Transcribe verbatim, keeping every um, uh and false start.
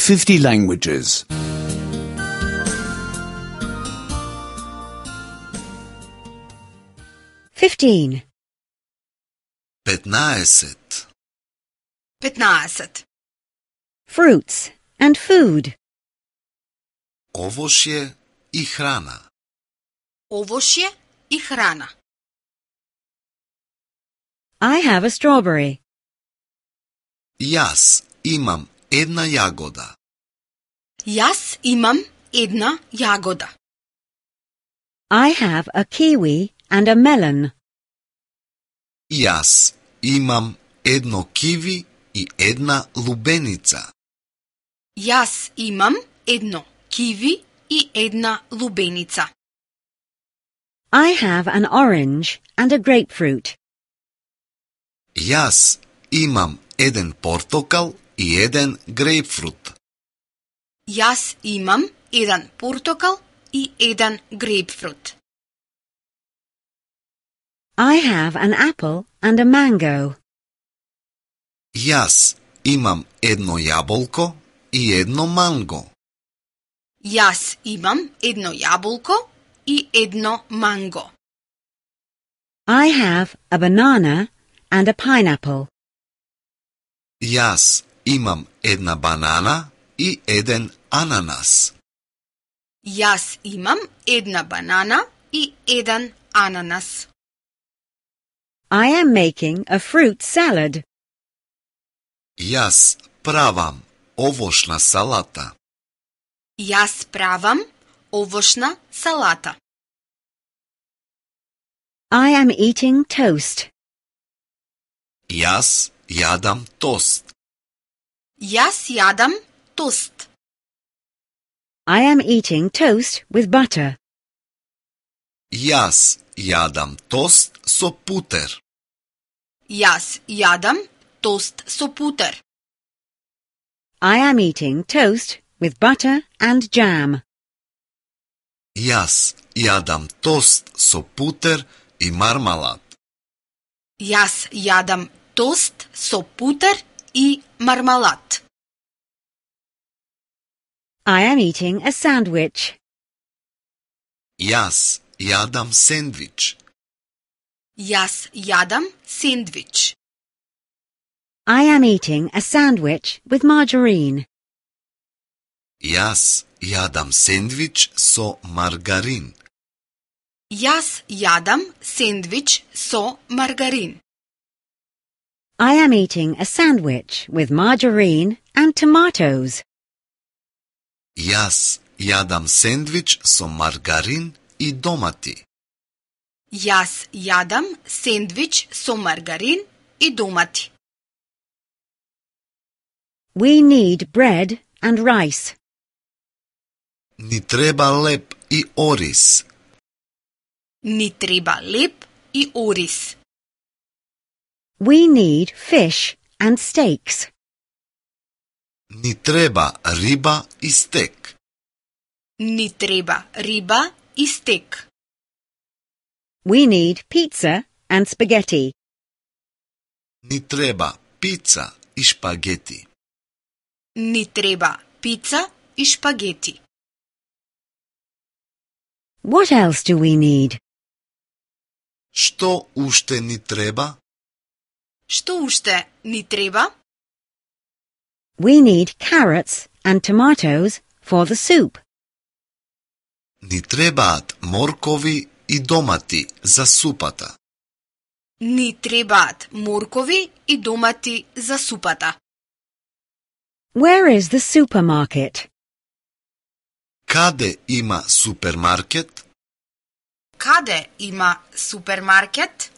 fifty languages. Fifteen. петнаесет. петнаесет. Fruits and food. Овошје и храна. Овошје и храна. I have a strawberry. Јас имам една јагода. Јас имам една јагода. I have a kiwi and a melon. Јас имам едно киви и една лубеница. Јас имам едно киви и една лубеница. I have an orange and a grapefruit. Јас имам еден портокал и еден грејпфрут. Јас имам еден портокал и еден грејпфрут. I have an apple and a mango. Јас имам едно јаболко и едно манго. Јас имам едно јаболко и едно манго. I have a banana and a pineapple. Јас имам една банана и еден ананас. Јас имам една банана и еден ананас. I am making a fruit salad. Јас правам овошна салата. Јас правам овошна салата. I am eating toast. Јас јадам тост. Јас јадам тост. I am eating toast with butter. Јас јадам тост со путер. Јас јадам тост со путер. I am eating toast with butter and jam. Јас јадам тост со путер и мармалад. Јас јадам тост со путер и мармалад. I am eating a sandwich. Јас јадам сендвич. Јас јадам сендвич. I am eating a sandwich with margarine. Јас јадам сендвич со маргарин. Јас јадам сендвич со маргарин. I am eating a sandwich with margarine and tomatoes. Јас јадам сендвич со маргарин и домати. Јас јадам сендвич со маргарин и домати. We need bread and rice. Ни треба леп и ориз. Ни треба леп и ориз. We need fish and steaks. Ни треба риба и стек. Ни треба риба и стек. We need pizza and spaghetti. Ни треба пица и шпагети. Ни треба пица и шпагети. What else do we need? Што уште ни треба? Што уште ни треба? We need carrots and tomatoes for the soup. Ни требаат моркови и домати за супата. Ни требаат моркови и домати за супата. Where is the supermarket? Каде има супермаркет? Каде има супермаркет?